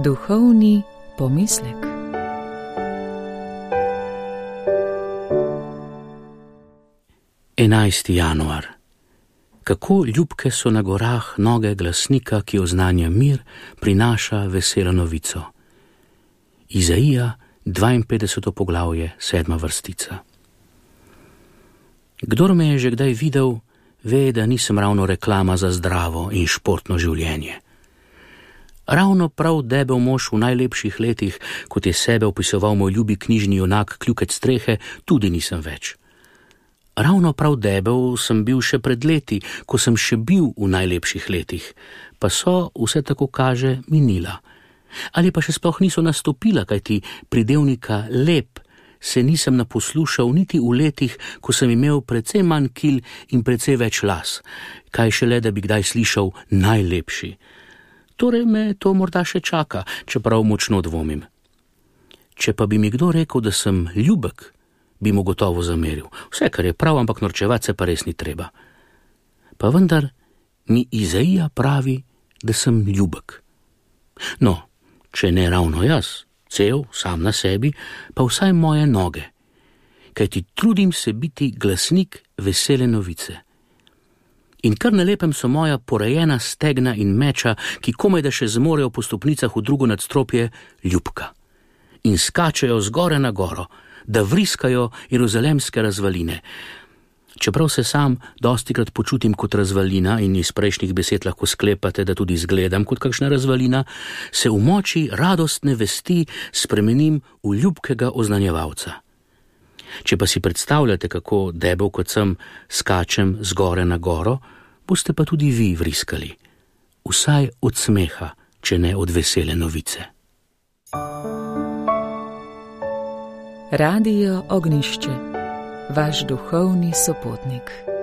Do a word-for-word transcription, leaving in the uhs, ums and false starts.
Duhovni pomislek. enajsti januar. Kako ljubke so na gorah noge glasnika, ki oznanja mir, prinaša veselo novico. Izaija, dvainpetdeseto poglavje, sedma vrstica. Kdor me je že kdaj videl, ve, da nisem ravno reklama za zdravo in športno življenje. Ravno prav debel mož v najlepših letih, kot je sebe opisoval moj ljubi knjižni junak Kljukec strehe, tudi nisem več. Ravno prav debel sem bil še pred leti, ko sem še bil v najlepših letih, pa so, vse tako kaže, minila. Ali pa še sploh niso nastopila, kajti pridevnika lep se nisem naposlušal niti v letih, ko sem imel precej manj kil in precej več las, kaj šele, da bi kdaj slišal najlepši. Torej me to morda še čaka, čeprav močno dvomim. Če pa bi mi kdo rekel, da sem ljubek, bi mu gotovo zameril. Vse, kar je prav, ampak norčevat se pa res ni treba. Pa vendar mi Izaija pravi, da sem ljubek. No, če ne ravno jaz, cel, sam na sebi, pa vsaj moje noge. Kajti trudim se biti glasnik vesele novice. In kar na lepem so moja porejena stegna in meča, ki komaj da še zmorejo po stopnicah v drugo nadstropje, ljubka. In skačejo zgore na goro, da vriskajo jeruzalemske razvaline. Čeprav se sam dostikrat počutim kot razvalina in iz prejšnjih besed lahko sklepate, da tudi izgledam kot kakšna razvalina, se v moči radostne vesti spremenim v ljubkega oznanjevalca. Če pa si predstavljate, kako debel kot sem skačem zgore na goro, boste pa tudi vi vriskali. Vsaj od smeha, če ne od vesele novice. Radio Ognišče, vaš duhovni sopotnik.